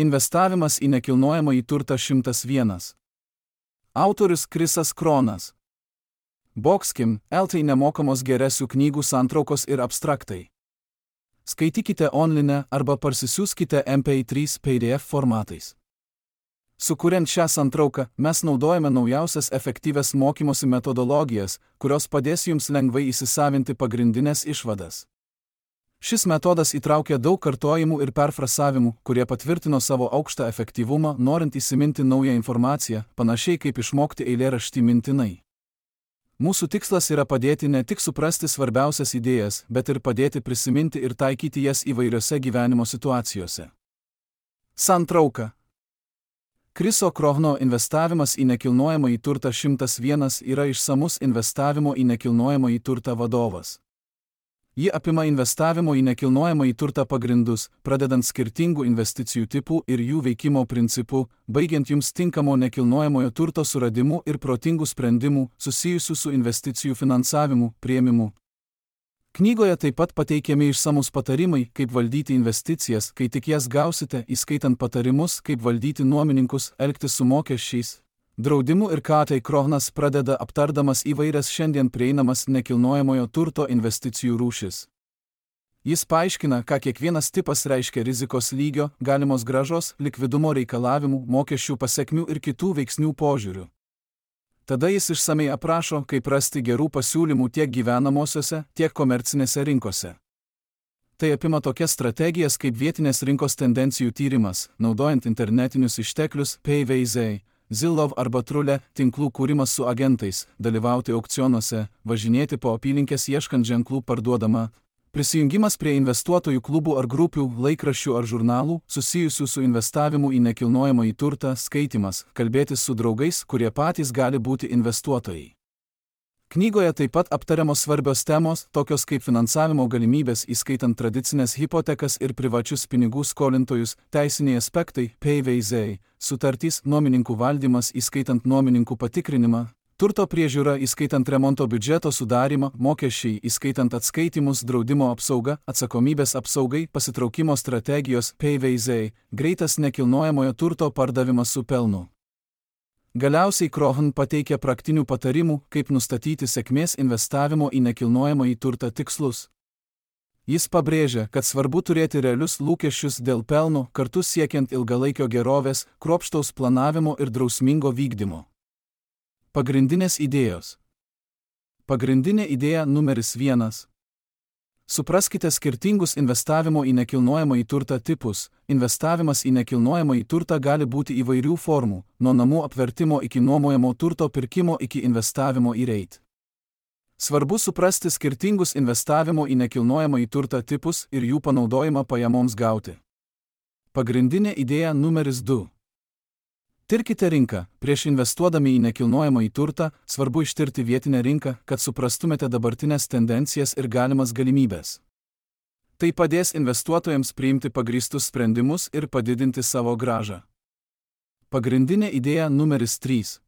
Investavimas į nekilnojamąjį turtą 101. Autorius Krisas Kronas. Boxkim, LT nemokamos geresių knygų santraukos ir abstraktai. Skaitykite online arba parsisiųskite MP3 PDF formatais. Sukuriant šią santrauką, mes naudojame naujausias efektyvias mokymosi metodologijas, kurios padės jums lengvai įsisavinti pagrindinės išvadas. Šis metodas įtraukia daug kartojimų ir perfrasavimų, kurie patvirtino savo aukštą efektyvumą, norint įsiminti naują informaciją, panašiai kaip išmokti eilėraštį mintinai. Mūsų tikslas yra padėti ne tik suprasti svarbiausias idėjas, bet ir padėti prisiminti ir taikyti jas įvairiose gyvenimo situacijose. Santrauka. Kriso Krohno investavimas į nekilnojamąjį turtą 101 yra išsamus investavimo į nekilnojamąjį turtą vadovas. Ji apima investavimo į nekilnojamąjį turtą pagrindus, pradedant skirtingų investicijų tipų ir jų veikimo principų, baigiant jums tinkamo nekilnojamojo turto suradimu ir protingų sprendimų susijusių su investicijų finansavimu, priėmimu. Knygoje taip pat pateikiami išsamus patarimai, kaip valdyti investicijas, kai tik jas gausite, įskaitant patarimus, kaip valdyti nuomininkus, elgtis su mokesčiais, draudimu ir ką tai Krohnas pradeda aptardamas įvairias šiandien prieinamas nekilnojamojo turto investicijų rūšis. Jis paaiškina, ką kiekvienas tipas reiškia rizikos lygio, galimos grąžos, likvidumo reikalavimų, mokesčių pasekmių ir kitų veiksnių požiūrių. Tada jis išsamei aprašo, kaip rasti gerų pasiūlymų tiek gyvenamosiose, tiek komercinėse rinkose. Tai apima tokias strategijas kaip vietinės rinkos tendencijų tyrimas, naudojant internetinius išteklius, PVZ, Zillow arba Trule, tinklų kūrimas su agentais, dalyvauti aukcionuose, važinėti po apylinkės ieškant ženklų parduodama, prisijungimas prie investuotojų klubų ar grupių, laikraščių ar žurnalų, susijusių su investavimu į nekilnojamąjį turtą, skaitymas, kalbėtis su draugais, kurie patys gali būti investuotojai. Knygoje taip pat aptariamos svarbios temos, tokios kaip finansavimo galimybės, įskaitant tradicinės hipotekas ir privačius pinigų skolintojus, teisiniai aspektai, PVZ, sutartys, nuomininkų valdymas, įskaitant nuomininkų patikrinimą, turto priežiūra, įskaitant remonto biudžeto sudarymą, mokesčiai, įskaitant atskaitimus, draudimo apsauga, atsakomybės apsaugai, pasitraukimo strategijos, PVZ, greitas nekilnojamojo turto pardavimas su pelnu. Galiausiai Krohn pateikia praktinių patarimų, kaip nustatyti sėkmės investavimo į nekilnojamąjį turtą tikslus. Jis pabrėžia, kad svarbu turėti realius lūkesčius dėl pelno, kartu siekiant ilgalaikio gerovės, kruopštaus planavimo ir drausmingo vykdymo. Pagrindinės idėjos. Pagrindinė idėja numeris 1. Supraskite skirtingus investavimo į nekilnojamąjį turtą tipus. Investavimas į nekilnojamąjį turtą gali būti įvairių formų, nuo namų apvertimo iki nuomojamo turto pirkimo iki investavimo į REIT. Svarbu suprasti skirtingus investavimo į nekilnojamąjį turtą tipus ir jų panaudojimą pajamoms gauti. Pagrindinė idėja numeris 2. Tirkite rinką. Prieš investuodami į nekilnojamąjį turtą, svarbu ištirti vietinę rinką, kad suprastumėte dabartinės tendencijas ir galimas galimybės. Tai padės investuotojams priimti pagrįstus sprendimus ir padidinti savo grąžą. Pagrindinė idėja numeris 3.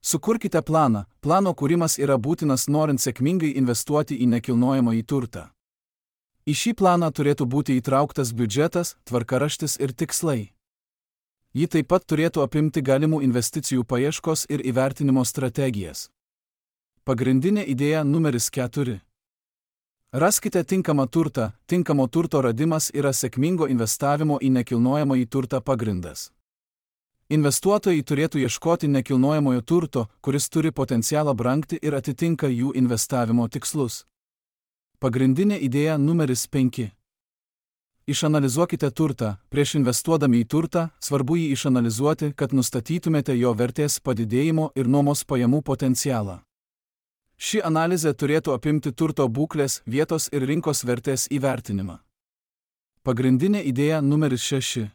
Sukurkite planą. Plano kūrimas yra būtinas norint sėkmingai investuoti į nekilnojamąjį turtą. Į šį planą turėtų būti įtrauktas biudžetas, tvarkaraštis ir tikslai. Ji taip pat turėtų apimti galimų investicijų paieškos ir įvertinimo strategijas. Pagrindinė idėja numeris 4. Raskite tinkamą turtą. Tinkamo turto radimas yra sėkmingo investavimo į nekilnojamąjį turtą pagrindas. Investuotojai turėtų ieškoti nekilnojamojo turto, kuris turi potencialą brangti ir atitinka jų investavimo tikslus. Pagrindinė idėja numeris 5. Išanalizuokite turtą. Prieš investuodami į turtą, svarbu jį išanalizuoti, kad nustatytumėte jo vertės padidėjimo ir nuomos pajamų potencialą. Ši analizė turėtų apimti turto būklės, vietos ir rinkos vertės įvertinimą. Pagrindinė idėja numeris 6.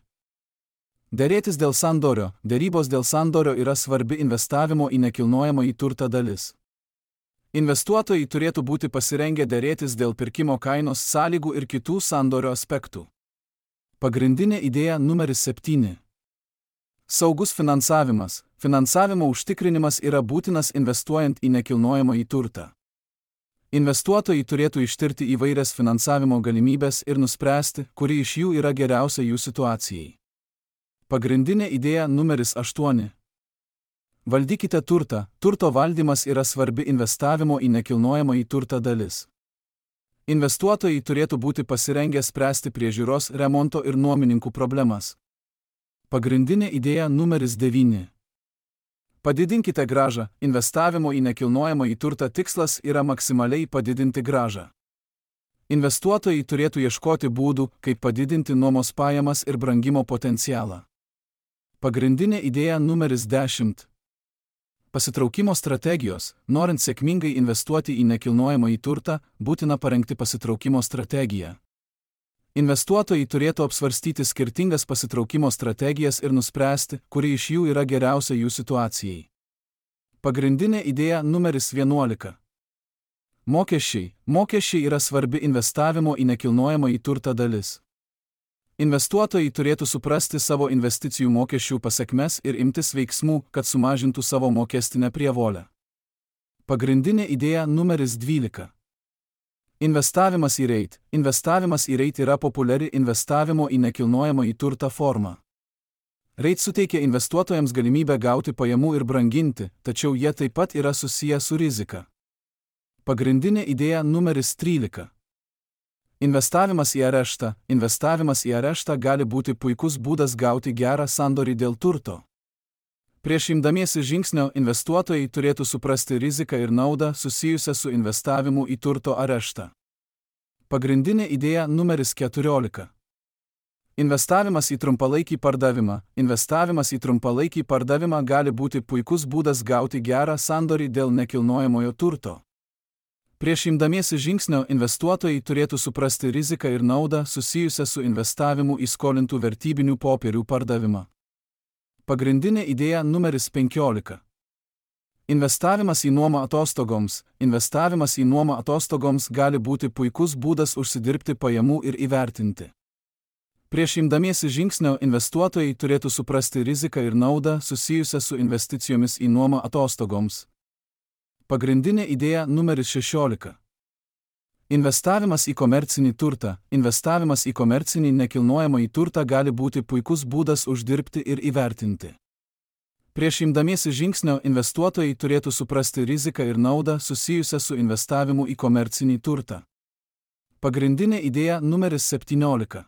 Derėtis dėl sandorio. Derybos dėl sandorio yra svarbi investavimo į nekilnojamąjį turtą dalis. Investuotojai turėtų būti pasirengę derėtis dėl pirkimo kainos sąlygų ir kitų sandorio aspektų. Pagrindinė idėja numeris 7. Saugus finansavimas. Finansavimo užtikrinimas yra būtinas investuojant į nekilnojamąjį turtą. Investuotojai turėtų ištirti įvairias finansavimo galimybės ir nuspręsti, kuri iš jų yra geriausia jų situacijai. Pagrindinė idėja numeris 8. Valdykite turtą. Turto valdymas yra svarbi investavimo į nekilnojamąjį turtą dalis. Investuotojai turėtų būti pasirengę spręsti priežiūros, remonto ir nuomininkų problemas. Pagrindinė idėja numeris 9. Padidinkite grąžą. Investavimo į nekilnojamąjį turtą tikslas yra maksimaliai padidinti grąžą. Investuotojai turėtų ieškoti būdų, kaip padidinti nuomos pajamas ir brangimo potencialą. Pagrindinė idėja numeris 10. Pasitraukimo strategijos. Norint sėkmingai investuoti į nekilnojamąjį turtą, būtina parengti pasitraukimo strategiją. Investuotojai turėtų apsvarstyti skirtingas pasitraukimo strategijas ir nuspręsti, kuri iš jų yra geriausia jų situacijai. Pagrindinė idėja numeris 11. Mokesčiai. Mokesčiai yra svarbi investavimo į nekilnojamąjį turtą dalis. Investuotojai turėtų suprasti savo investicijų mokesčių pasekmes ir imtis veiksmų, kad sumažintų savo mokestinę prievolę. Pagrindinė idėja numeris 12. Investavimas į REIT. Investavimas į REIT yra populiari investavimo į nekilnojamąjį turtą forma. REIT suteikia investuotojams galimybę gauti pajamų ir branginti, tačiau jie taip pat yra susiję su rizika. Pagrindinė idėja numeris 13. Investavimas į areštą. Investavimas į areštą gali būti puikus būdas gauti gerą sandorį dėl turto. Prieš imdamiesi žingsnio investuotojai turėtų suprasti riziką ir naudą susijusią su investavimu į turto areštą. Pagrindinė idėja numeris 14. Investavimas į trumpalaikį pardavimą. Investavimas į trumpalaikį pardavimą gali būti puikus būdas gauti gerą sandorį dėl nekilnojamojo turto. Prieš imdamiesi žingsnio investuotojai turėtų suprasti riziką ir naudą susijusią su investavimu į skolintų vertybinių popierių pardavimą. Pagrindinė idėja numeris 15. Investavimas į nuomą atostogoms. Investavimas į nuomą atostogoms gali būti puikus būdas užsidirbti pajamų ir įvertinti. Prieš imdamiesi žingsnio investuotojai turėtų suprasti riziką ir naudą susijusią su investicijomis į nuomą atostogoms. Pagrindinė idėja numeris 16. Investavimas į komercinį turtą. Investavimas į komercinį nekilnojamąjį turtą gali būti puikus būdas uždirbti ir įvertinti. Prieš imdamiesi žingsnio investuotojai turėtų suprasti riziką ir naudą susijusią su investavimu į komercinį turtą. Pagrindinė idėja numeris 17.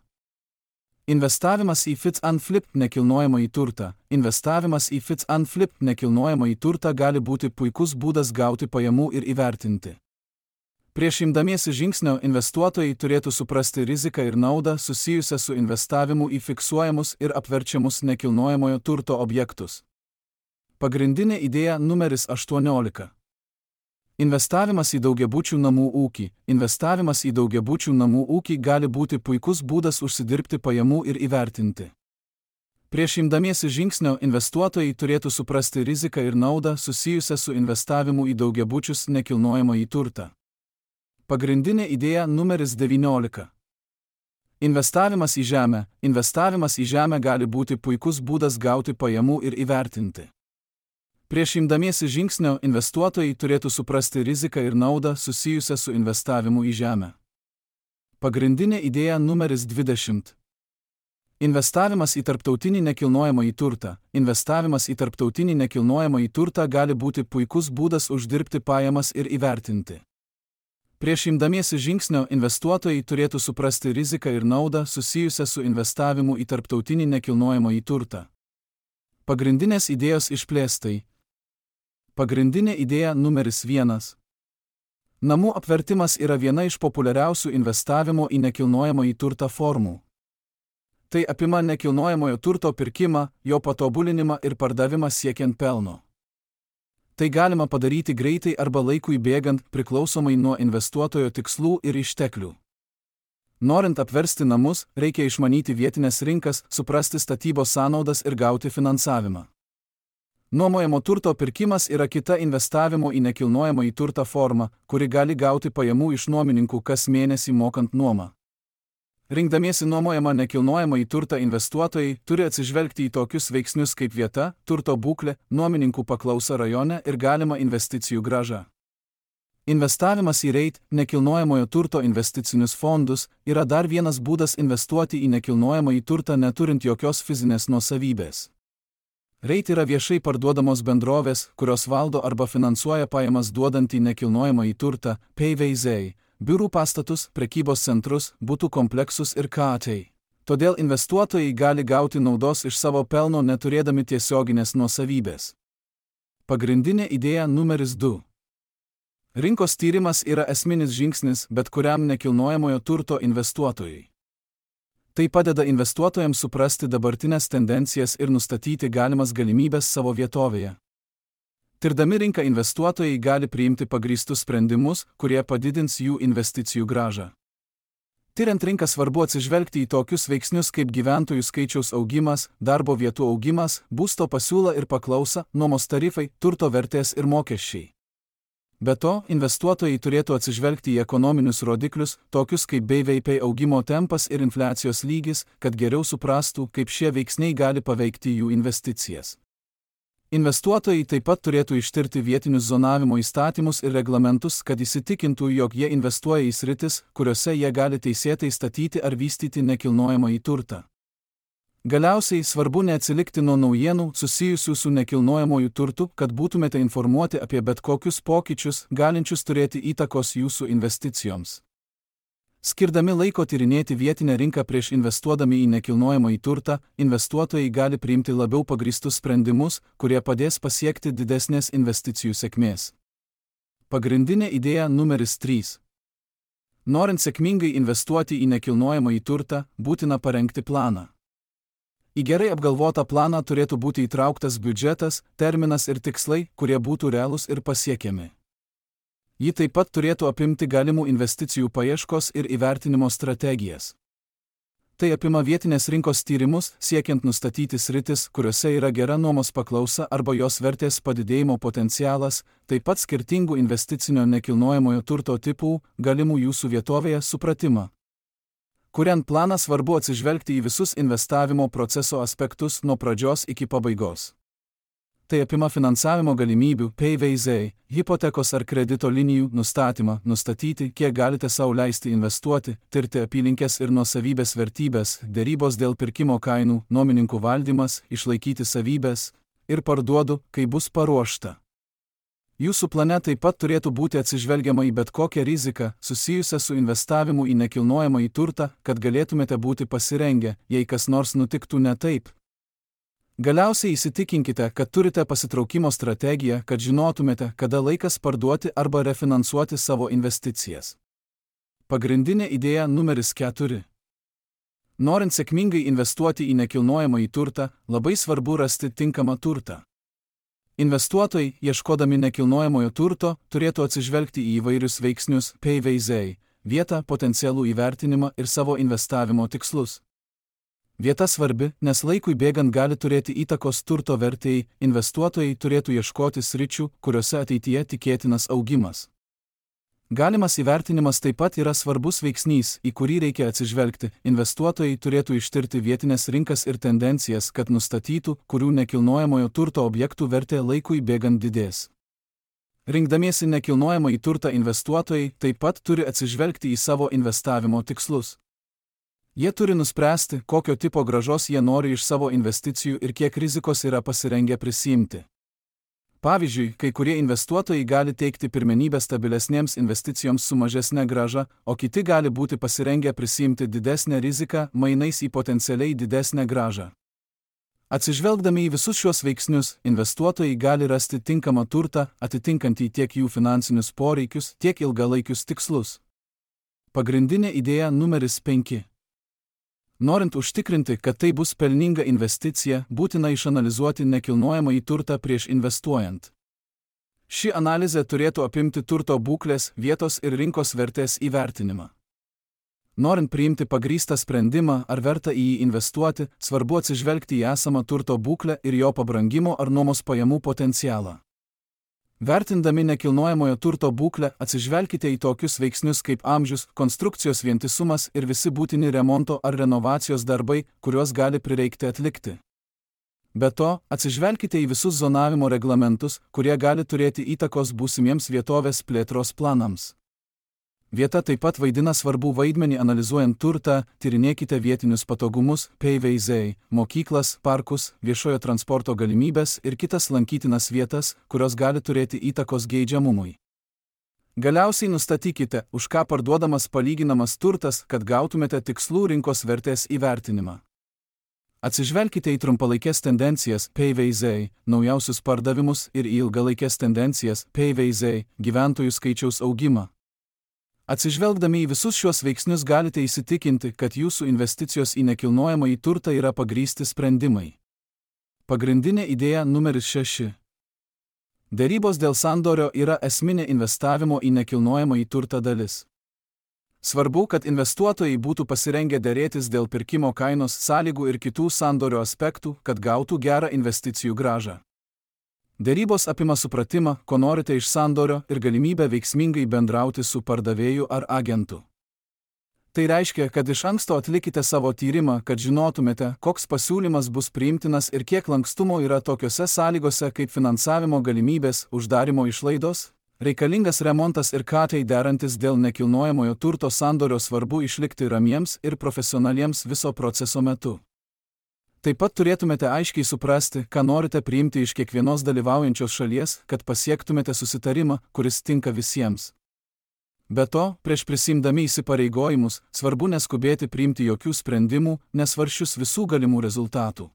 Investavimas į fix and flip nekilnojamąjį turtą. Investavimas į fix and flip nekilnojamąjį turtą gali būti puikus būdas gauti pajamų ir įvertinti. Prieš imdamiesi žingsnio investuotojai turėtų suprasti riziką ir naudą susijusią su investavimu į fiksuojamus ir apverčiamus nekilnojamojo turto objektus. Pagrindinė idėja numeris 18. Investavimas į daugiabučių namų ūkį. Investavimas į daugiabučių namų ūkį gali būti puikus būdas užsidirbti pajamų ir įvertinti. Prieš imdamiesi žingsnio investuotojai turėtų suprasti riziką ir naudą susijusią su investavimu į daugiabučius nekilnojamąjį turtą. Pagrindinė idėja numeris 19. Investavimas į žemę. Investavimas į žemę gali būti puikus būdas gauti pajamų ir įvertinti. Prieš imdamiesi žingsnio investuotojai turėtų suprasti riziką ir naudą susijusią su investavimu į žemę. Pagrindinė idėja numeris 20. Investavimas į tarptautinį nekilnojamąjį turtą. Investavimas į tarptautinį nekilnojamąjį turtą gali būti puikus būdas uždirbti pajamas ir įvertinti. Prieš imdamiesi žingsnio investuotojai turėtų suprasti riziką ir naudą susijusią su investavimu į tarptautinį nekilnojamąjį turtą. Pagrindinės idėjos išplėstai. Pagrindinė idėja numeris 1. Namų apvertimas yra viena iš populiariausių investavimo į nekilnojamąjį turtą formų. Tai apima nekilnojamojo turto pirkimą, jo patobulinimą ir pardavimą siekiant pelno. Tai galima padaryti greitai arba laikui bėgant, priklausomai nuo investuotojo tikslų ir išteklių. Norint apversti namus, reikia išmanyti vietinės rinkas, suprasti statybos sąnaudas ir gauti finansavimą. Nuomojamo turto pirkimas yra kita investavimo į nekilnojamąjį turtą forma, kuri gali gauti pajamų iš nuomininkų kas mėnesį mokant nuomą. Rinkdamiesi nuomojamą nekilnojamąjį turtą investuotojai turi atsižvelgti į tokius veiksnius kaip vieta, turto būklė, nuomininkų paklausa rajone ir galima investicijų grąža. Investavimas į REIT, nekilnojamojo turto investicinius fondus, yra dar vienas būdas investuoti į nekilnojamąjį turtą neturint jokios fizinės nuosavybės. REIT yra viešai parduodamos bendrovės, kurios valdo arba finansuoja pajamas duodantį nekilnojamąjį turtą, PVZ, biurų pastatus, prekybos centrus, butų kompleksus ir KT. Todėl investuotojai gali gauti naudos iš savo pelno neturėdami tiesioginės nuosavybės. Pagrindinė idėja numeris 2. Rinkos tyrimas yra esminis žingsnis bet kuriam nekilnojamojo turto investuotojui. Tai padeda investuotojams suprasti dabartinės tendencijas ir nustatyti galimas galimybės savo vietovėje. Tirdami rinką investuotojai gali priimti pagrįstus sprendimus, kurie padidins jų investicijų grąžą. Tiriant rinką svarbu atsižvelgti į tokius veiksnius kaip gyventojų skaičiaus augimas, darbo vietų augimas, būsto pasiūla ir paklausa, nuomos tarifai, turto vertės ir mokesčiai. Be to, investuotojai turėtų atsižvelgti į ekonominius rodiklius, tokius kaip BVP augimo tempas ir infliacijos lygis, kad geriau suprastų, kaip šie veiksniai gali paveikti jų investicijas. Investuotojai taip pat turėtų ištirti vietinius zonavimo įstatymus ir reglamentus, kad įsitikintų, jog jie investuoja į sritis, kuriuose jie gali teisėtai statyti ar vystyti nekilnojamąjį turtą. Galiausiai svarbu neatsilikti nuo naujienų susijusių su nekilnojamuoju turtu, kad būtumėte informuoti apie bet kokius pokyčius, galinčius turėti įtakos jūsų investicijoms. Skirdami laiko tyrinėti vietinę rinką prieš investuodami į nekilnojamąjį turtą, investuotojai gali priimti labiau pagrįstus sprendimus, kurie padės pasiekti didesnės investicijų sėkmės. Pagrindinė idėja numeris 3. Norint sėkmingai investuoti į nekilnojamąjį turtą, būtina parengti planą. Į gerai apgalvotą planą turėtų būti įtrauktas biudžetas, terminas ir tikslai, kurie būtų realūs ir pasiekiami. Ji taip pat turėtų apimti galimų investicijų paieškos ir įvertinimo strategijas. Tai apima vietinės rinkos tyrimus, siekiant nustatyti sritis, kuriuose yra gera nuomos paklausa arba jos vertės padidėjimo potencialas, taip pat skirtingų investicinio nekilnojamojo turto tipų, galimų jūsų vietovėje supratimą. Kuriant planą svarbu atsižvelgti į visus investavimo proceso aspektus nuo pradžios iki pabaigos. Tai apima finansavimo galimybių, PVZ, hipotekos ar kredito linijų nustatymą, nustatyti, kiek galite sau leisti investuoti, tirti apylinkės ir nuosavybės vertybės, derybos dėl pirkimo kainų, nuomininkų valdymas, išlaikyti savybės ir parduodu, kai bus paruošta. Jūsų plane taip pat turėtų būti atsižvelgiama į bet kokią riziką, susijusią su investavimu į nekilnojamąjį turtą, kad galėtumėte būti pasirengę, jei kas nors nutiktų ne taip. Galiausiai įsitikinkite, kad turite pasitraukimo strategiją, kad žinotumėte, kada laikas parduoti arba refinansuoti savo investicijas. Pagrindinė idėja numeris 4. Norint sėkmingai investuoti į nekilnojamąjį turtą, labai svarbu rasti tinkamą turtą. Investuotojai, ieškodami nekilnojamojo turto, turėtų atsižvelgti į įvairius veiksnius, PVZ, vietą, potencialų įvertinimą ir savo investavimo tikslus. Vieta svarbi, nes laikui bėgant gali turėti įtakos turto vertėjai, investuotojai turėtų ieškoti sričių, kuriuose ateityje tikėtinas augimas. Galimas įvertinimas taip pat yra svarbus veiksnys, į kurį reikia atsižvelgti. Investuotojai turėtų ištirti vietinės rinkas ir tendencijas, kad nustatytų, kurių nekilnojamojo turto objektų vertė laikui bėgant didės. Rinkdamiesi nekilnojamąjį turtą investuotojai taip pat turi atsižvelgti į savo investavimo tikslus. Jie turi nuspręsti, kokio tipo grąžos jie nori iš savo investicijų ir kiek rizikos yra pasirengę prisiimti. Pavyzdžiui, kai kurie investuotojai gali teikti pirmenybę stabilesnėms investicijoms su mažesne grąža, o kiti gali būti pasirengę prisiimti didesnę riziką mainais į potencialiai didesnę grąžą. Atsižvelgdami į visus šios veiksnius, investuotojai gali rasti tinkamą turtą, atitinkantį tiek jų finansinius poreikius, tiek ilgalaikius tikslus. Pagrindinė idėja numeris 5. Norint užtikrinti, kad tai bus pelninga investicija, būtina išanalizuoti nekilnojamąjį turtą prieš investuojant. Ši analizė turėtų apimti turto būklės, vietos ir rinkos vertės įvertinimą. Norint priimti pagrįstą sprendimą, ar verta į jį investuoti, svarbu atsižvelgti į esamą turto būklę ir jo pabrangimo ar nuomos pajamų potencialą. Vertindami nekilnojamojo turto būklę, atsižvelkite į tokius veiksnius kaip amžius, konstrukcijos vientisumas ir visi būtini remonto ar renovacijos darbai, kuriuos gali prireikti atlikti. Be to, atsižvelkite į visus zonavimo reglamentus, kurie gali turėti įtakos būsimiems vietovės plėtros planams. Vieta taip pat vaidina svarbų vaidmenį analizuojant turtą, tyrinėkite vietinius patogumus, PVZ, mokyklas, parkus, viešojo transporto galimybės ir kitas lankytinas vietas, kurios gali turėti įtakos geidžiamumui. Galiausiai nustatykite, už ką parduodamas palyginamas turtas, kad gautumėte tikslų rinkos vertės įvertinimą. Atsižvelkite į trumpalaikės tendencijas, PVZ, naujausius pardavimus ir į ilgalaikės tendencijas, PVZ, gyventojų skaičiaus augimą. Atsižvelgdami į visus šiuos veiksnius galite įsitikinti, kad jūsų investicijos į nekilnojamąjį turtą yra pagrįsti sprendimai. Pagrindinė idėja numeris 6. Derybos dėl sandorio yra esminė investavimo į nekilnojamąjį turtą dalis. Svarbu, kad investuotojai būtų pasirengę derėtis dėl pirkimo kainos sąlygų ir kitų sandorio aspektų, kad gautų gerą investicijų grąžą. Derybos apima supratimą, ko norite iš sandorio ir galimybę veiksmingai bendrauti su pardavėju ar agentu. Tai reiškia, kad iš anksto atlikite savo tyrimą, kad žinotumėte, koks pasiūlymas bus priimtinas ir kiek lankstumo yra tokiose sąlygose kaip finansavimo galimybės, uždarimo išlaidos, reikalingas remontas ir katai derantis dėl nekilnojamojo turto sandorio. Svarbu išlikti ramiems ir profesionaliems viso proceso metu. Taip pat turėtumėte aiškiai suprasti, ką norite priimti iš kiekvienos dalyvaujančios šalies, kad pasiektumėte susitarimą, kuris tinka visiems. Be to, prieš prisiimdami įsipareigojimus, svarbu neskubėti priimti jokių sprendimų, nesvarsčius visų galimų rezultatų.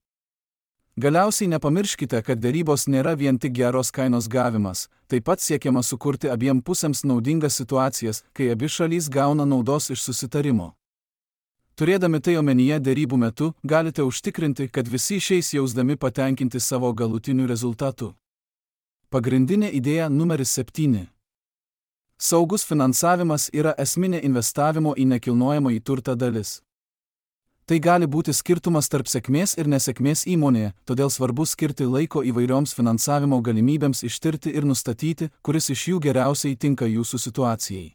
Galiausiai nepamirškite, kad derybos nėra vien tik geros kainos gavimas, taip pat siekiama sukurti abiem pusėms naudingas situacijas, kai abi šalys gauna naudos iš susitarimo. Turėdami tai omenyje derybų metu, galite užtikrinti, kad visi išeis jausdami patenkinti savo galutiniu rezultatu. Pagrindinė idėja numeris 7. Saugus finansavimas yra esminė investavimo į nekilnojamąjį turtą dalis. Tai gali būti skirtumas tarp sėkmės ir nesėkmės įmonėje, todėl svarbu skirti laiko įvairioms finansavimo galimybėms ištirti ir nustatyti, kuris iš jų geriausiai tinka jūsų situacijai.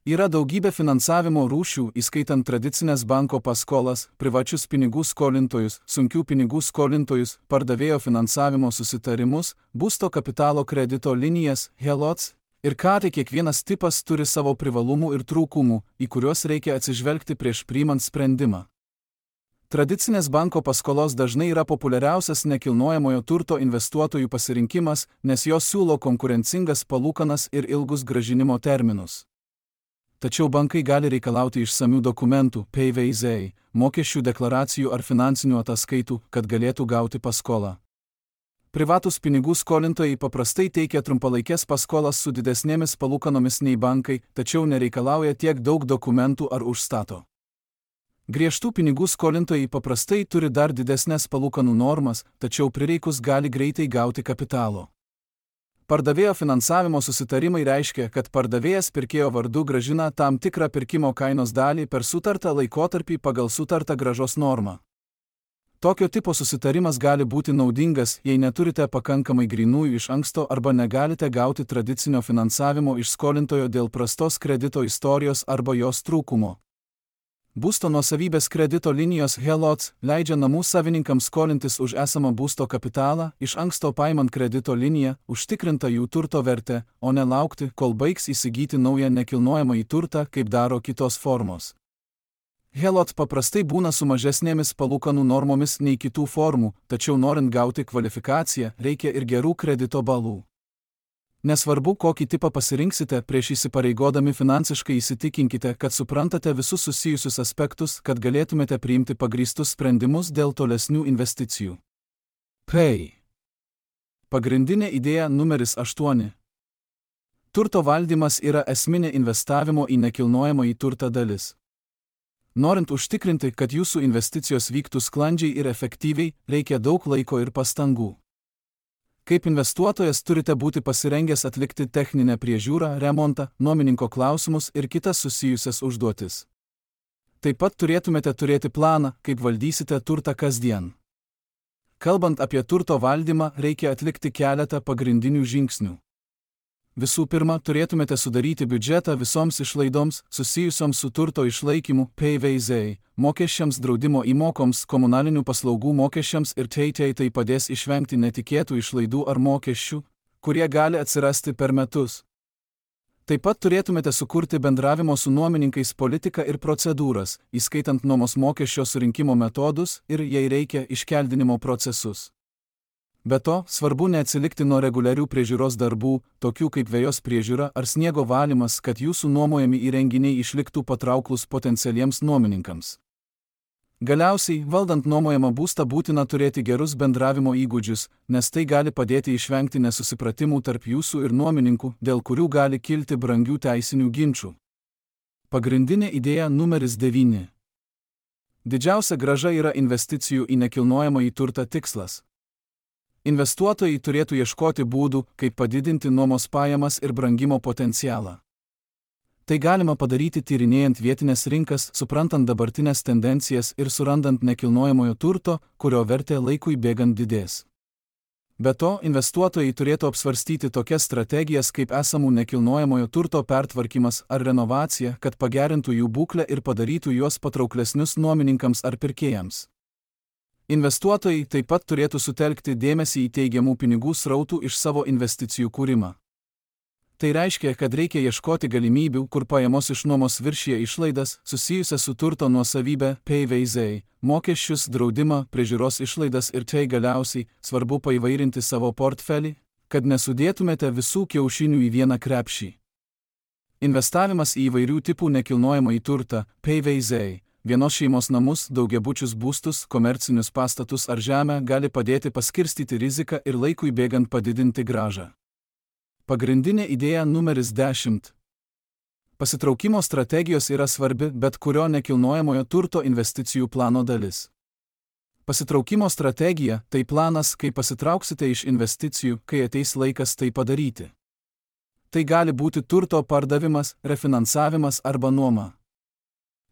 Yra daugybė finansavimo rūšių, įskaitant tradicinės banko paskolas, privačius pinigų skolintojus, sunkių pinigų skolintojus, pardavėjo finansavimo susitarimus, būsto kapitalo kredito linijas, HELOCs, ir kiekvienas tipas turi savo privalumų ir trūkumų, į kuriuos reikia atsižvelgti prieš priimant sprendimą. Tradicinės banko paskolos dažnai yra populiariausias nekilnojamojo turto investuotojų pasirinkimas, nes jos siūlo konkurencingas palūkanas ir ilgus grąžinimo terminus. Tačiau bankai gali reikalauti išsamių dokumentų, PVZ, mokesčių deklaracijų ar finansinių ataskaitų, kad galėtų gauti paskolą. Privatūs pinigų skolintojai paprastai teikia trumpalaikės paskolas su didesnėmis palūkanomis nei bankai, tačiau nereikalauja tiek daug dokumentų ar užstato. Griežtų pinigų skolintojai paprastai turi dar didesnės palūkanų normas, tačiau prireikus gali greitai gauti kapitalo. Pardavėjo finansavimo susitarimai reiškia, kad pardavėjas pirkėjo vardu grąžina tam tikrą pirkimo kainos dalį per sutartą laikotarpį pagal sutartą grąžos normą. Tokio tipo susitarimas gali būti naudingas, jei neturite pakankamai grynųjų iš anksto arba negalite gauti tradicinio finansavimo iš skolintojo dėl prastos kredito istorijos arba jos trūkumo. Būsto nuosavybės kredito linijos HELOCs leidžia namų savininkams skolintis už esamą būsto kapitalą, iš anksto paimant kredito liniją, užtikrinta jų turto vertę, o ne laukti, kol baigs įsigyti naują nekilnojamąjį turtą, kaip daro kitos formos. HELOC paprastai būna su mažesnėmis palūkanų normomis nei kitų formų, tačiau norint gauti kvalifikaciją, reikia ir gerų kredito balų. Nesvarbu, kokį tipą pasirinksite, prieš įsipareigodami finansiškai įsitikinkite, kad suprantate visus susijusius aspektus, kad galėtumėte priimti pagrįstus sprendimus dėl tolesnių investicijų. Pagrindinė idėja numeris 8. Turto valdymas yra esminė investavimo į nekilnojamąjį turtą dalis. Norint užtikrinti, kad jūsų investicijos vyktų sklandžiai ir efektyviai, reikia daug laiko ir pastangų. Kaip investuotojas turite būti pasirengęs atlikti techninę priežiūrą, remontą, nuomininko klausimus ir kitas susijusias užduotis. Taip pat turėtumėte turėti planą, kaip valdysite turtą kasdien. Kalbant apie turto valdymą, reikia atlikti keletą pagrindinių žingsnių. Visų pirma, turėtumėte sudaryti biudžetą visoms išlaidoms susijusioms su turto išlaikymu, PVZ, mokesčiams, draudimo įmokoms, komunalinių paslaugų mokesčiams ir tai padės išvengti netikėtų išlaidų ar mokesčių, kurie gali atsirasti per metus. Taip pat turėtumėte sukurti bendravimo su nuomininkais politiką ir procedūras, įskaitant nuomos mokesčio surinkimo metodus ir, jei reikia, iškeldinimo procesus. Be to, svarbu neatsilikti nuo reguliarių priežiūros darbų, tokių kaip vejos priežiūra ar sniego valymas, kad jūsų nuomojami įrenginiai išliktų patrauklūs potencialiems nuomininkams. Galiausiai, valdant nuomojamą būstą būtina turėti gerus bendravimo įgūdžius, nes tai gali padėti išvengti nesusipratimų tarp jūsų ir nuomininkų, dėl kurių gali kilti brangių teisinių ginčų. Pagrindinė idėja numeris 9. Didžiausia grąža yra investicijų į nekilnojamąjį turtą tikslas. Investuotojai turėtų ieškoti būdų, kaip padidinti nuomos pajamas ir brangimo potencialą. Tai galima padaryti tyrinėjant vietinės rinkas, suprantant dabartinės tendencijas ir surandant nekilnojamojo turto, kurio vertė laikui bėgant didės. Be to, investuotojai turėtų apsvarstyti tokias strategijas kaip esamų nekilnojamojo turto pertvarkymas ar renovacija, kad pagerintų jų būklę ir padarytų juos patrauklesnius nuomininkams ar pirkėjams. Investuotojai taip pat turėtų sutelkti dėmesį į teigiamų pinigų srautų iš savo investicijų kūrimą. Tai reiškia, kad reikia ieškoti galimybių, kur pajamos iš nuomos viršija išlaidas susijusias su turto nuosavybė, PVZ, mokesčius, draudimą, priežiūros išlaidas ir tai galiausiai svarbu paįvairinti savo portfelį, kad nesudėtumėte visų kiaušinių į vieną krepšį. Investavimas į įvairių tipų nekilnojamąjį turtą, PVZ, vienos šeimos namus, daugiabučius būstus, komercinius pastatus ar žemę gali padėti paskirstyti riziką ir laikui bėgant padidinti grąžą. Pagrindinė idėja numeris 10. Pasitraukimo strategijos yra svarbi bet kurio nekilnojamojo turto investicijų plano dalis. Pasitraukimo strategija – tai planas, kai pasitrauksite iš investicijų, kai ateis laikas tai padaryti. Tai gali būti turto pardavimas, refinansavimas arba nuoma.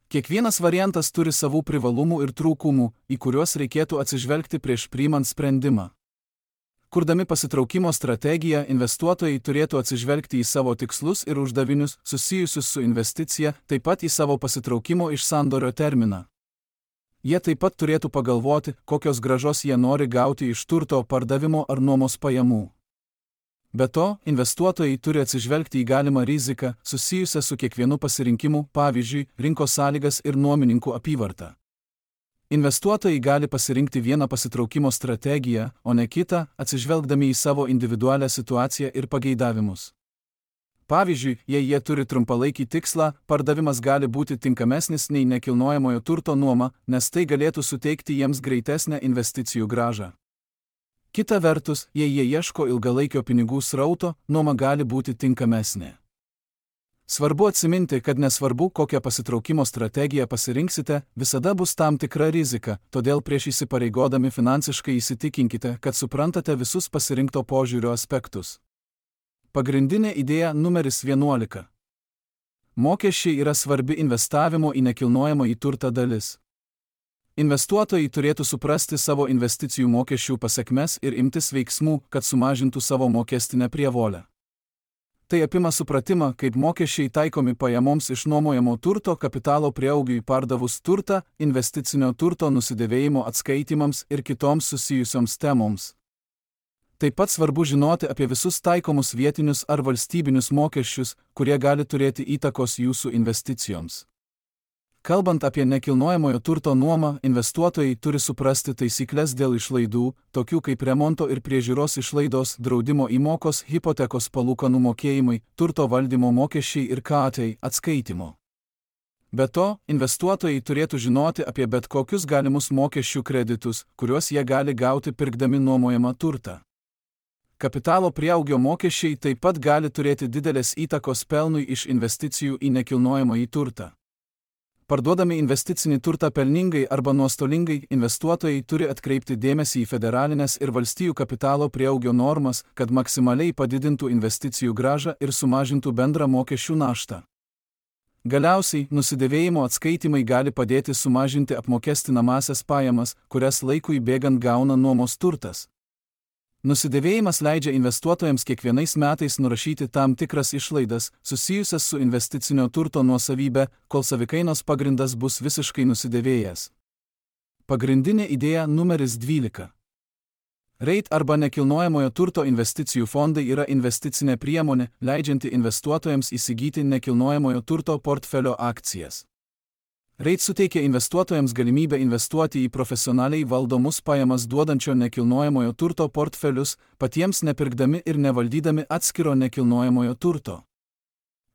Kiekvienas variantas turi savų privalumų ir trūkumų, į kuriuos reikėtų atsižvelgti prieš priimant sprendimą. Kurdami pasitraukimo strategiją, investuotojai turėtų atsižvelgti į savo tikslus ir uždavinius susijusius su investicija, taip pat į savo pasitraukimo iš sandorio terminą. Jie taip pat turėtų pagalvoti, kokios grąžos jie nori gauti iš turto pardavimo ar nuomos pajamų. Be to, investuotojai turi atsižvelgti į galimą riziką susijusią su kiekvienu pasirinkimu, pavyzdžiui, rinkos sąlygas ir nuomininkų apyvartą. Investuotojai gali pasirinkti vieną pasitraukimo strategiją, o ne kitą, atsižvelgdami į savo individualią situaciją ir pageidavimus. Pavyzdžiui, jei jie turi trumpalaikį tikslą, pardavimas gali būti tinkamesnis nei nekilnojamojo turto nuoma, nes tai galėtų suteikti jiems greitesnę investicijų grąžą. Kita vertus, jei jie ieško ilgalaikio pinigų srauto, nuoma gali būti tinkamesnė. Svarbu atsiminti, kad nesvarbu, kokią pasitraukimo strategiją pasirinksite, visada bus tam tikra rizika, todėl prieš įsipareigodami finansiškai įsitikinkite, kad suprantate visus pasirinkto požiūrio aspektus. Pagrindinė idėja numeris 11. Mokesčiai yra svarbi investavimo į nekilnojamąjį turtą dalis. Investuotojai turėtų suprasti savo investicijų mokesčių pasekmes ir imtis veiksmų, kad sumažintų savo mokestinę prievolę. Tai apima supratimą, kaip mokesčiai taikomi pajamoms iš nuomojamo turto, kapitalo prieaugiui pardavus turtą, investicinio turto nusidėvėjimo atskaitimams ir kitoms susijusioms temoms. Taip pat svarbu žinoti apie visus taikomus vietinius ar valstybinius mokesčius, kurie gali turėti įtakos jūsų investicijoms. Kalbant apie nekilnojamojo turto nuomą, investuotojai turi suprasti taisyklės dėl išlaidų, tokių kaip remonto ir priežiūros išlaidos, draudimo įmokos, hipotekos palūkanų mokėjimai, turto valdymo mokesčiai ir KAT atskaitimo. Be to, investuotojai turėtų žinoti apie bet kokius galimus mokesčių kreditus, kuriuos jie gali gauti pirkdami nuomojamą turtą. Kapitalo prieaugio mokesčiai taip pat gali turėti didelės įtakos pelnui iš investicijų į nekilnojamąjį turtą. Parduodami investicinį turtą pelningai arba nuostolingai, investuotojai turi atkreipti dėmesį į federalinės ir valstijų kapitalo prieaugio normas, kad maksimaliai padidintų investicijų grąžą ir sumažintų bendrą mokesčių naštą. Galiausiai, nusidėvėjimo atskaitimai gali padėti sumažinti apmokestinamąsias pajamas, kurias laikui bėgant gauna nuomos turtas. Nusidėvėjimas leidžia investuotojams kiekvienais metais nurašyti tam tikras išlaidas, susijusias su investicinio turto nuosavybė, kol savikainos pagrindas bus visiškai nusidėvėjęs. Pagrindinė idėja numeris 12. REIT arba nekilnojamojo turto investicijų fondai yra investicinė priemonė, leidžianti investuotojams įsigyti nekilnojamojo turto portfelio akcijas. REIT suteikia investuotojams galimybę investuoti į profesionaliai valdomus pajamas duodančio nekilnojamojo turto portfelius, patiems nepirkdami ir nevaldydami atskiro nekilnojamojo turto.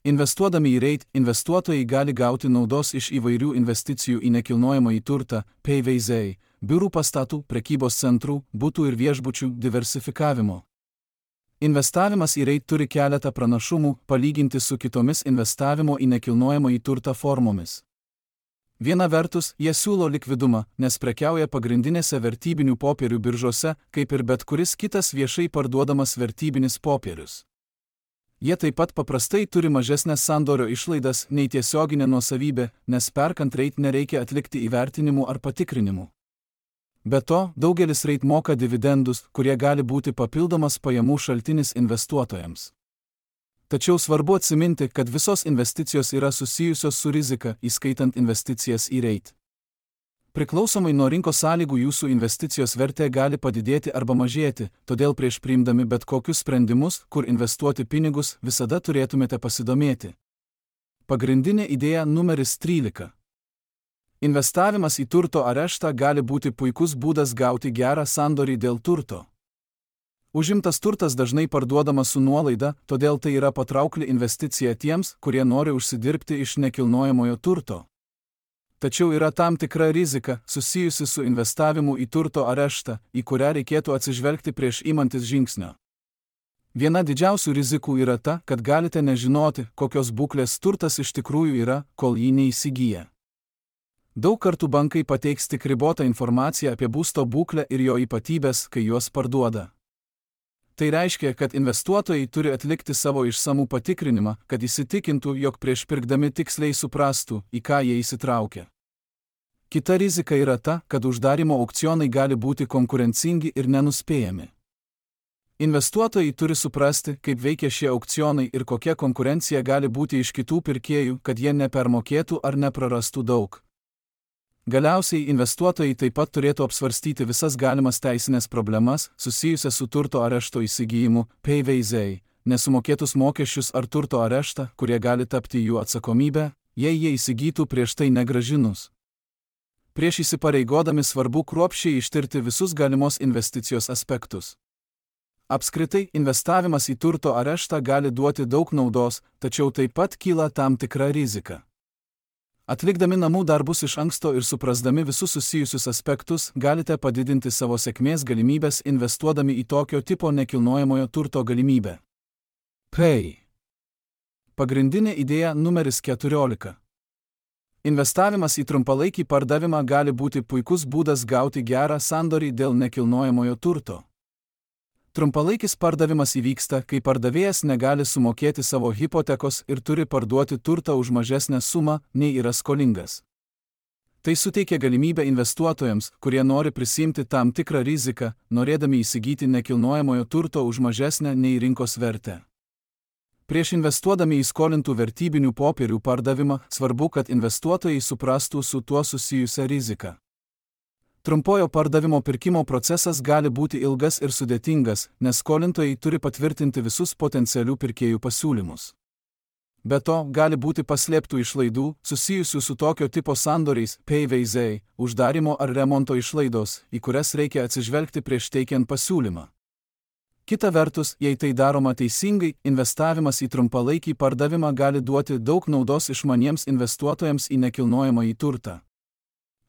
Investuodami į REIT, investuotojai gali gauti naudos iš įvairių investicijų į nekilnojamąjį turtą, PVZ, biurų pastatų, prekybos centrų, butų ir viešbučių diversifikavimo. Investavimas į REIT turi keletą pranašumų, palyginti su kitomis investavimo į nekilnojamąjį turtą formomis. Viena vertus, jie siūlo likvidumą, nes prekiauja pagrindinėse vertybinių popierių biržose, kaip ir bet kuris kitas viešai parduodamas vertybinis popierius. Jie taip pat paprastai turi mažesnės sandorio išlaidas nei tiesioginė nuosavybė, nes perkant REIT nereikia atlikti įvertinimų ar patikrinimų. Be to, daugelis REIT moka dividendus, kurie gali būti papildomas pajamų šaltinis investuotojams. Tačiau svarbu atsiminti, kad visos investicijos yra susijusios su rizika, įskaitant investicijas į REIT. Priklausomai nuo rinkos sąlygų jūsų investicijos vertė gali padidėti arba mažėti, todėl prieš priimdami bet kokius sprendimus, kur investuoti pinigus, visada turėtumėte pasidomėti. Pagrindinė idėja numeris 13. Investavimas į turto areštą gali būti puikus būdas gauti gerą sandorį dėl turto. Užimtas turtas dažnai parduodamas su nuolaida, todėl tai yra patraukli investicija tiems, kurie nori užsidirbti iš nekilnojamojo turto. Tačiau yra tam tikra rizika, susijusi su investavimu į turto areštą, į kurią reikėtų atsižvelgti prieš imantis žingsnio. Viena didžiausių rizikų yra ta, kad galite nežinoti, kokios būklės turtas iš tikrųjų yra, kol jį neįsigyja. Daug kartų bankai pateiks tik ribotą informaciją apie būsto būklę ir jo ypatybės, kai juos parduoda. Tai reiškia, kad investuotojai turi atlikti savo išsamų patikrinimą, kad įsitikintų, jog prieš pirkdami tiksliai suprastų, į ką jie įsitraukia. Kita rizika yra ta, kad uždarimo aukcionai gali būti konkurencingi ir nenuspėjami. Investuotojai turi suprasti, kaip veikia šie aukcionai ir kokia konkurencija gali būti iš kitų pirkėjų, kad jie nepermokėtų ar neprarastų daug. Galiausiai investuotojai taip pat turėtų apsvarstyti visas galimas teisinės problemas, susijusias su turto arešto įsigijimu, PVZ, nesumokėtus mokesčius ar turto areštą, kurie gali tapti jų atsakomybę, jei jie įsigytų prieš tai negrąžinus. Prieš įsipareigodami svarbu kruopščiai ištirti visus galimos investicijos aspektus. Apskritai, investavimas į turto areštą gali duoti daug naudos, tačiau taip pat kyla tam tikra rizika. Atlikdami namų darbus iš anksto ir suprasdami visus susijusius aspektus, galite padidinti savo sėkmės galimybės investuodami į tokio tipo nekilnojamojo turto galimybę. Pagrindinė idėja numeris 14. Investavimas į trumpalaikį pardavimą gali būti puikus būdas gauti gerą sandorį dėl nekilnojamojo turto. Trumpalaikis pardavimas įvyksta, kai pardavėjas negali sumokėti savo hipotekos ir turi parduoti turtą už mažesnę sumą, nei yra skolingas. Tai suteikia galimybę investuotojams, kurie nori prisiimti tam tikrą riziką, norėdami įsigyti nekilnojamojo turto už mažesnę nei rinkos vertę. Prieš investuodami į skolintų vertybinių popierių pardavimą, svarbu, kad investuotojai suprastų su tuo susijusią riziką. Trumpojo pardavimo pirkimo procesas gali būti ilgas ir sudėtingas, nes skolintojai turi patvirtinti visus potencialių pirkėjų pasiūlymus. Be to, gali būti paslėptų išlaidų, susijusių su tokio tipo sandoriais, PVZ, uždarimo ar remonto išlaidos, į kurias reikia atsižvelgti prieš teikiant pasiūlymą. Kita vertus, jei tai daroma teisingai, investavimas į trumpalaikį pardavimą gali duoti daug naudos išmaniems investuotojams į nekilnojamąjį turtą.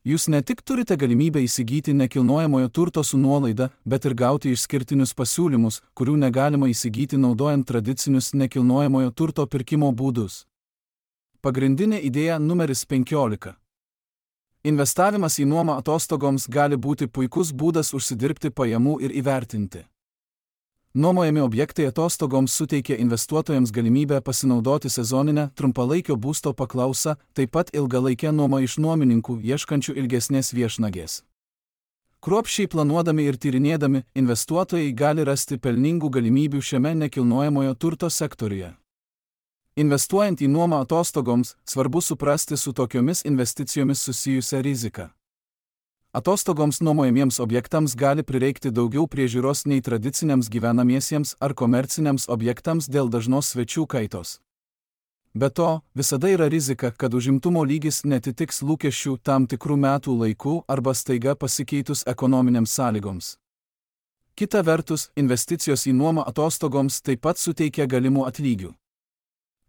Jūs ne tik turite galimybę įsigyti nekilnojamojo turto su nuolaida, bet ir gauti išskirtinius pasiūlymus, kurių negalima įsigyti naudojant tradicinius nekilnojamojo turto pirkimo būdus. Pagrindinė idėja numeris 15. Investavimas į nuomą atostogoms gali būti puikus būdas užsidirbti pajamų ir įvertinti. Nuomojami objektai atostogoms suteikia investuotojams galimybę pasinaudoti sezoninę, trumpalaikio būsto paklausą, taip pat ilgalaikę nuomą iš nuomininkų ieškančių ilgesnės viešnagės. Kruopščiai planuodami ir tyrinėdami, investuotojai gali rasti pelningų galimybių šiame nekilnojamojo turto sektoriuje. Investuojant į nuomą atostogoms, svarbu suprasti su tokiomis investicijomis susijusią riziką. Atostogoms nuomojamiems objektams gali prireikti daugiau priežiūros nei tradiciniams gyvenamiesiems ar komerciniams objektams dėl dažnos svečių kaitos. Be to, visada yra rizika, kad užimtumo lygis netitiks lūkesčių tam tikrų metų laikų arba staiga pasikeitus ekonominėms sąlygoms. Kita vertus, investicijos į nuomą atostogoms taip pat suteikia galimų atlygių.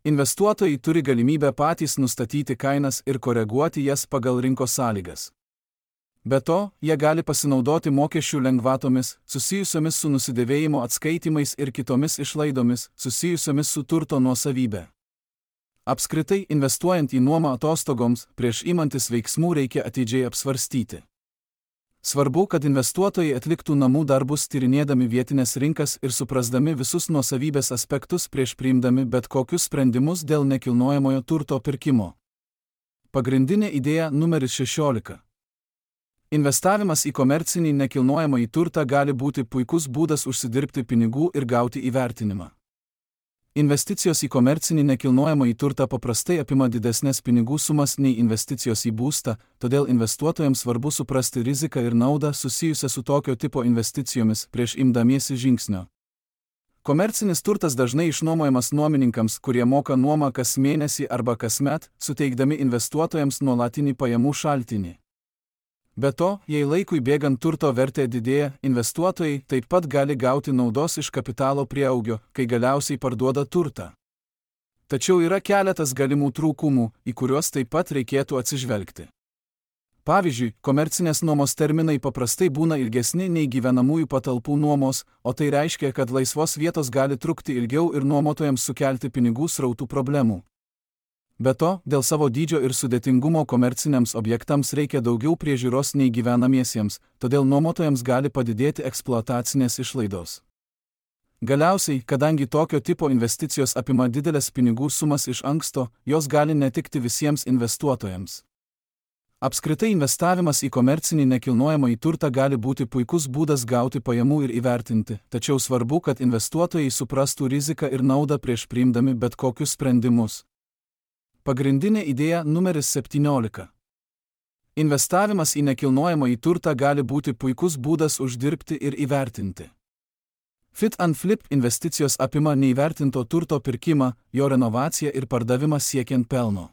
Investuotojai turi galimybę patys nustatyti kainas ir koreguoti jas pagal rinkos sąlygas. Be to, jie gali pasinaudoti mokesčių lengvatomis, susijusiomis su nusidėvėjimo atskaitimais ir kitomis išlaidomis, susijusiomis su turto nuosavybė. Apskritai, investuojant į nuomą atostogoms, prieš imantis veiksmų reikia atidžiai apsvarstyti. Svarbu, kad investuotojai atliktų namų darbus tyrinėdami vietinės rinkas ir suprasdami visus nuosavybės aspektus prieš priimdami bet kokius sprendimus dėl nekilnojamojo turto pirkimo. Pagrindinė idėja numeris 16. Investavimas į komercinį nekilnojamąjį turtą gali būti puikus būdas užsidirbti pinigų ir gauti įvertinimą. Investicijos į komercinį nekilnojamąjį turtą paprastai apima didesnės pinigų sumas nei investicijos į būstą, todėl investuotojams svarbu suprasti riziką ir naudą susijusią su tokio tipo investicijomis prieš imdamiesi žingsnio. Komercinis turtas dažnai išnuomojamas nuomininkams, kurie moka nuomą kas mėnesį arba kasmet, suteikdami investuotojams nuolatinį pajamų šaltinį. Be to, jei laikui bėgant turto vertė didėja, investuotojai taip pat gali gauti naudos iš kapitalo prieaugio, kai galiausiai parduoda turtą. Tačiau yra keletas galimų trūkumų, į kuriuos taip pat reikėtų atsižvelgti. Pavyzdžiui, komercinės nuomos terminai paprastai būna ilgesni nei gyvenamųjų patalpų nuomos, o tai reiškia, kad laisvos vietos gali trukti ilgiau ir nuomotojams sukelti pinigų srautų problemų. Be to, dėl savo dydžio ir sudėtingumo komerciniams objektams reikia daugiau priežiūros nei gyvenamiesiems, todėl nuomotojams gali padidėti eksploatacinės išlaidos. Galiausiai, kadangi tokio tipo investicijos apima didelės pinigų sumas iš anksto, jos gali netikti visiems investuotojams. Apskritai investavimas į komercinį nekilnojamąjį turtą gali būti puikus būdas gauti pajamų ir įvertinti, tačiau svarbu, kad investuotojai suprastų riziką ir naudą prieš priimdami bet kokius sprendimus. Pagrindinė idėja numeris 17. Investavimas į nekilnojamąjį turtą gali būti puikus būdas uždirbti ir įvertinti. Fit and flip investicijos apima neįvertinto turto pirkimą, jo renovaciją ir pardavimą siekiant pelno.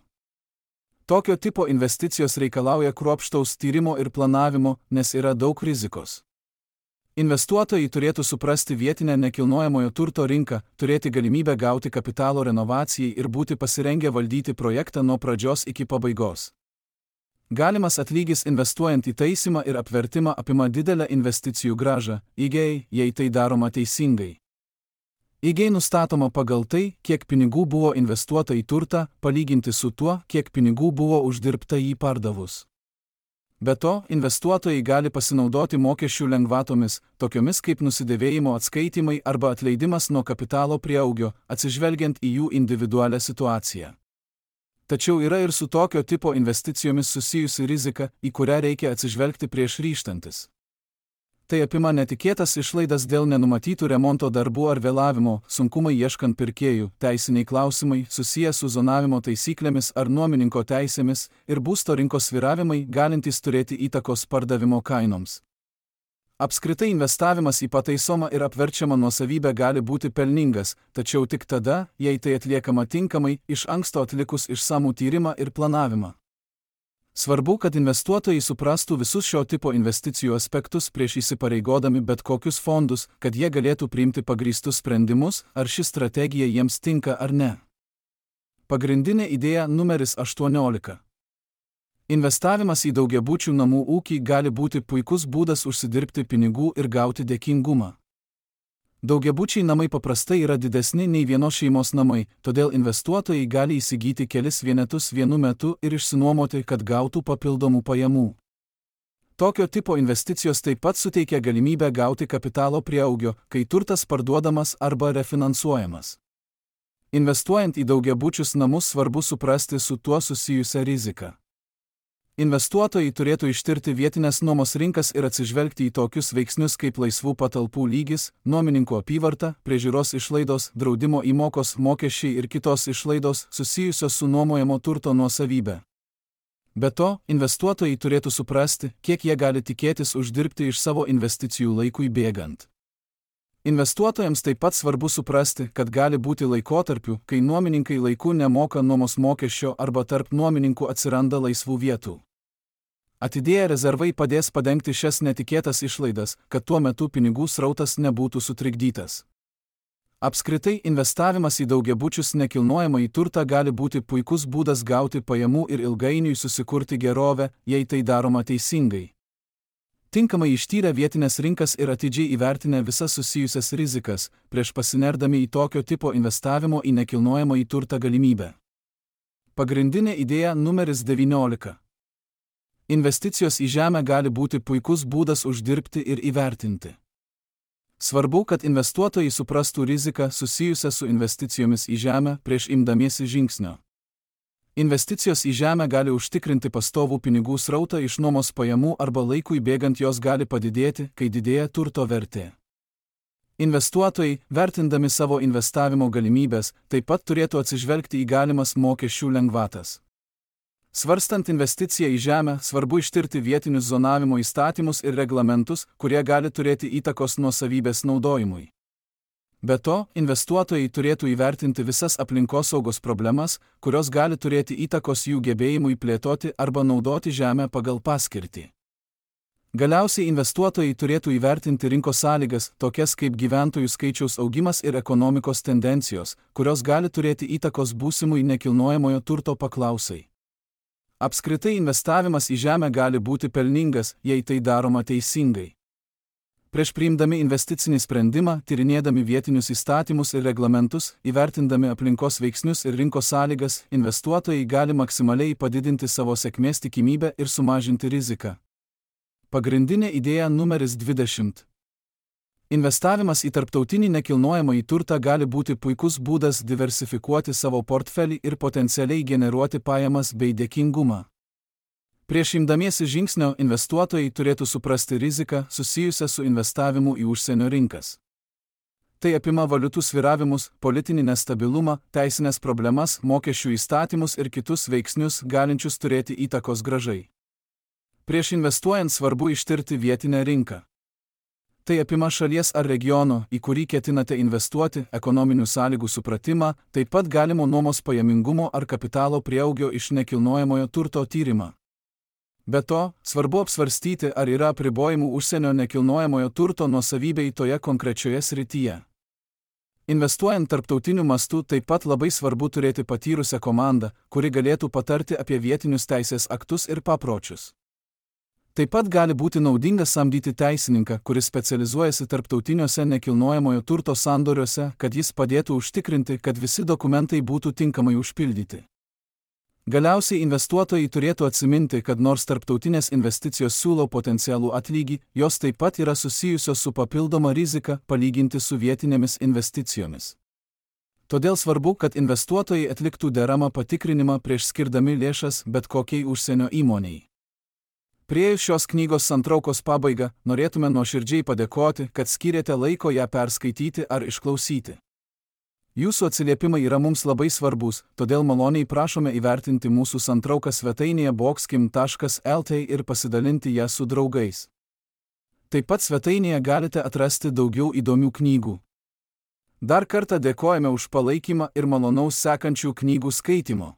Tokio tipo investicijos reikalauja kruopštaus tyrimo ir planavimo, nes yra daug rizikos. Investuotojai turėtų suprasti vietinę nekilnojamojo turto rinką, turėti galimybę gauti kapitalo renovacijai ir būti pasirengę valdyti projektą nuo pradžios iki pabaigos. Galimas atlygis investuojant į taisymą ir apvertimą apima didelę investicijų grąžą, įgei, jei tai daroma teisingai. Įgei nustatoma pagal tai, kiek pinigų buvo investuota į turtą, palyginti su tuo, kiek pinigų buvo uždirbta jį pardavus. Be to, investuotojai gali pasinaudoti mokesčių lengvatomis, tokiomis kaip nusidėvėjimo atskaitimai arba atleidimas nuo kapitalo prieaugio, atsižvelgiant į jų individualią situaciją. Tačiau yra ir su tokio tipo investicijomis susijusi rizika, į kurią reikia atsižvelgti prieš ryžtantis. Tai apima netikėtas išlaidas dėl nenumatytų remonto darbų ar vėlavimo, sunkumai ieškant pirkėjų, teisiniai klausimai susiję su zonavimo taisyklėmis ar nuomininko teisėmis ir būsto rinkos svyravimai galintys turėti įtakos pardavimo kainoms. Apskritai investavimas į pataisomą ir apverčiamą nuosavybę gali būti pelningas, tačiau tik tada, jei tai atliekama tinkamai, iš anksto atlikus išsamų tyrimą ir planavimą. Svarbu, kad investuotojai suprastų visus šio tipo investicijų aspektus prieš įsipareigodami bet kokius fondus, kad jie galėtų priimti pagrįstus sprendimus, ar ši strategija jiems tinka ar ne. Pagrindinė idėja numeris 18. Investavimas į daugiabučių namų ūkį gali būti puikus būdas užsidirbti pinigų ir gauti dėkingumą. Daugiabučiai namai paprastai yra didesni nei vienos šeimos namai, todėl investuotojai gali įsigyti kelis vienetus vienu metu ir išsinuomoti, kad gautų papildomų pajamų. Tokio tipo investicijos taip pat suteikia galimybę gauti kapitalo prieaugio, kai turtas parduodamas arba refinansuojamas. Investuojant į daugiabučius namus svarbu suprasti su tuo susijusią riziką. Investuotojai turėtų ištirti vietinės nuomos rinkas ir atsižvelgti į tokius veiksnius kaip laisvų patalpų lygis, nuomininkų apyvarta, priežiūros išlaidos, draudimo įmokos, mokesčiai ir kitos išlaidos susijusios su nuomojamo turto nuosavybė. Be to, investuotojai turėtų suprasti, kiek jie gali tikėtis uždirbti iš savo investicijų laikui bėgant. Investuotojams taip pat svarbu suprasti, kad gali būti laikotarpių, kai nuomininkai laiku nemoka nuomos mokesčio arba tarp nuomininkų atsiranda laisvų vietų. Atidėję rezervai padės padengti šias netikėtas išlaidas, kad tuo metu pinigų srautas nebūtų sutrikdytas. Apskritai, investavimas į daugiabučius nekilnojamąjį turtą gali būti puikus būdas gauti pajamų ir ilgainiui susikurti gerovę, jei tai daroma teisingai. Tinkamai ištyrę vietinės rinkas ir atidžiai įvertinę visas susijusias rizikas, prieš pasinerdami į tokio tipo investavimo į nekilnojamąjį turtą galimybę. Pagrindinė idėja numeris 19. Investicijos į žemę gali būti puikus būdas uždirbti ir įvertinti. Svarbu, kad investuotojai suprastų riziką susijusią su investicijomis į žemę prieš imdamiesi žingsnio. Investicijos į žemę gali užtikrinti pastovų pinigų srautą iš nuomos pajamų arba laikui bėgant jos gali padidėti, kai didėja turto vertė. Investuotojai, vertindami savo investavimo galimybės, taip pat turėtų atsižvelgti į galimas mokesčių lengvatas. Svarstant investiciją į žemę, svarbu ištirti vietinius zonavimo įstatymus ir reglamentus, kurie gali turėti įtakos nuosavybės naudojimui. Be to, investuotojai turėtų įvertinti visas aplinkosaugos problemas, kurios gali turėti įtakos jų gebėjimui plėtoti arba naudoti žemę pagal paskirtį. Galiausiai investuotojai turėtų įvertinti rinkos sąlygas, tokias kaip gyventojų skaičiaus augimas ir ekonomikos tendencijos, kurios gali turėti įtakos būsimui nekilnojamojo turto paklausai. Apskritai investavimas į žemę gali būti pelningas, jei tai daroma teisingai. Prieš priimdami investicinį sprendimą, tyrinėdami vietinius įstatymus ir reglamentus, įvertindami aplinkos veiksnius ir rinkos sąlygas, investuotojai gali maksimaliai padidinti savo sėkmės tikimybę ir sumažinti riziką. Pagrindinė idėja numeris 20. Investavimas į tarptautinį nekilnojamąjį turtą gali būti puikus būdas diversifikuoti savo portfelį ir potencialiai generuoti pajamas bei dėkingumą. Prieš imdamiesi žingsnio, investuotojai turėtų suprasti riziką susijusią su investavimu į užsienio rinkas. Tai apima valiutų svyravimus, politinį nestabilumą, teisinės problemas, mokesčių įstatymus ir kitus veiksnius galinčius turėti įtakos grąžai. Prieš investuojant svarbu ištirti vietinę rinką. Tai apima šalies ar regiono, į kurį ketinate investuoti, ekonominių sąlygų supratimą, taip pat galimo nuomos pajamingumo ar kapitalo prieaugio iš nekilnojamojo turto tyrimą. Be to, svarbu apsvarstyti, ar yra apribojimų užsienio nekilnojamojo turto nuosavybei toje konkrečioje srityje. Investuojant tarptautiniu mastu taip pat labai svarbu turėti patyrusią komandą, kuri galėtų patarti apie vietinius teisės aktus ir papročius. Taip pat gali būti naudinga samdyti teisininką, kuris specializuojasi tarptautiniuose nekilnojamojo turto sandoriuose, kad jis padėtų užtikrinti, kad visi dokumentai būtų tinkamai užpildyti. Galiausiai investuotojai turėtų atsiminti, kad nors tarptautinės investicijos siūlo potencialų atlygį, jos taip pat yra susijusios su papildoma rizika palyginti su vietinėmis investicijomis. Todėl svarbu, kad investuotojai atliktų deramą patikrinimą prieš skirdami lėšas bet kokiai užsienio įmonei. Priėjus šios knygos santraukos pabaigą, norėtume nuoširdžiai padėkoti, kad skyrėte laiko ją perskaityti ar išklausyti. Jūsų atsiliepimai yra mums labai svarbus, todėl maloniai prašome įvertinti mūsų santrauką svetainėje boxkim.lt ir pasidalinti ją su draugais. Taip pat svetainėje galite atrasti daugiau įdomių knygų. Dar kartą dėkojame už palaikymą ir malonaus sekančių knygų skaitymo.